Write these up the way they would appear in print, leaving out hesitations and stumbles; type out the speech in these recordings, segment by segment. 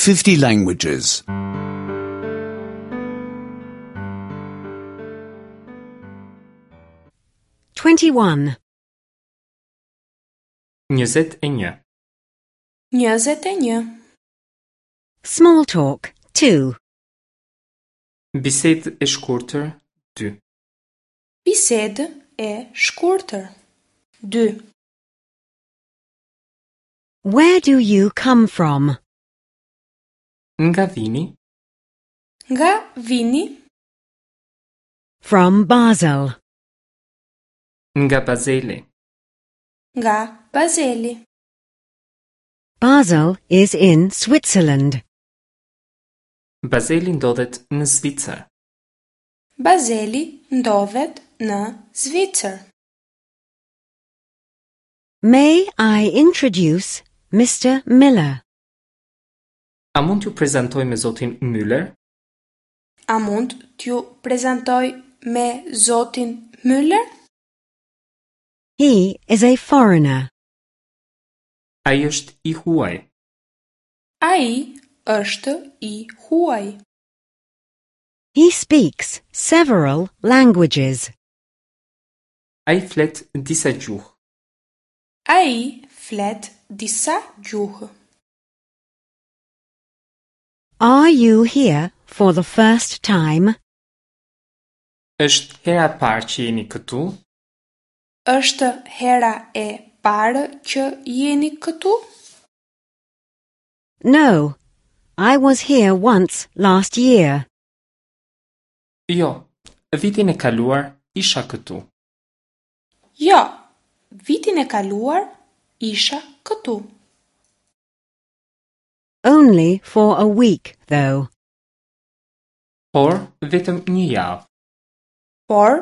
50 languages. 21. 21. 21. Small talk 2. Bisedë e shkurtër 2. Bisedë e shkurtër. 2. Where do you come from? Nga vini? Nga vini? From Basel. Nga Bazeli. Nga Bazeli. Basel is in Switzerland. Bazeli ndodhet në Zvicër. Bazeli ndodhet në Zvicër. May I introduce Mr. Miller? A mund t'ju prezantoj me zotin Müller? A mund t'ju prezantoj me zotin Müller? He is a foreigner. Ai është i huaj. Ai është i huaj. He speaks several languages. Ai flet disa gjuhë. Ai flet disa gjuhë. Are you here for the first time? Është hera e parë që jeni këtu? Është hera e parë që jeni këtu? No, I was here once last year. Jo, vitin e kaluar isha këtu. Jo, vitin e kaluar isha këtu. Only for a week, though. Por vetëm një javë. Por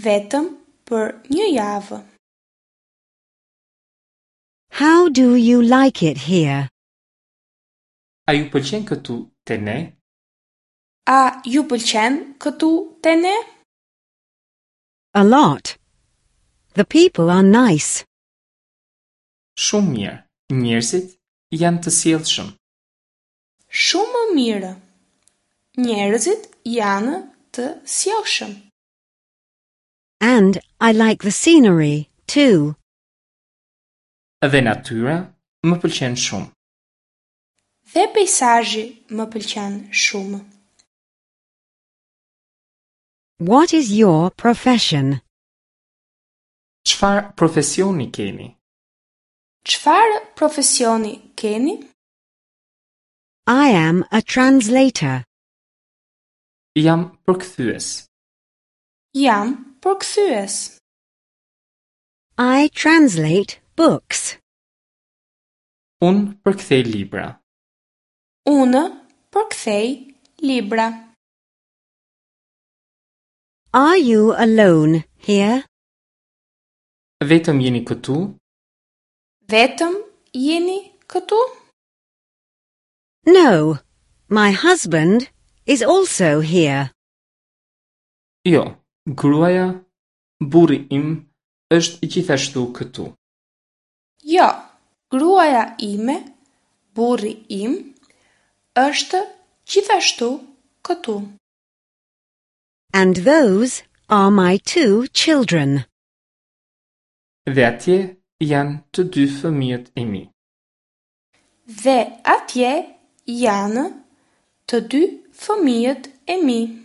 vetëm për një javë. How do you like it here? A ju pëlqen këtu te ne? A ju pëlqen këtu te ne? A lot. The people are nice. Shumë mirë. Njerëzit janë të sjellshëm. Shumë mirë. Njerëzit janë të sjellshëm. And I like the scenery, too. Dhe natyra më pëlqen shumë. Dhe peizazhi më pëlqen shumë. What is your profession? Çfarë profesioni keni? Çfarë profesioni keni? I am a translator. Jam përkthyes. Jam përkthyes. I translate books. Unë përkthej libra. Unë përkthej libra. Are you alone here? Vetëm jeni këtu? Vetëm jeni këtu? No, my husband is also here. Jo, gruaja, burri im është gjithashtu këtu. Jo, gruaja ime, burri im, është gjithashtu këtu. And those are my two children. Dhe atje janë të dy fëmijët e mi. Dhe atje janë të dy fëmijët e mi.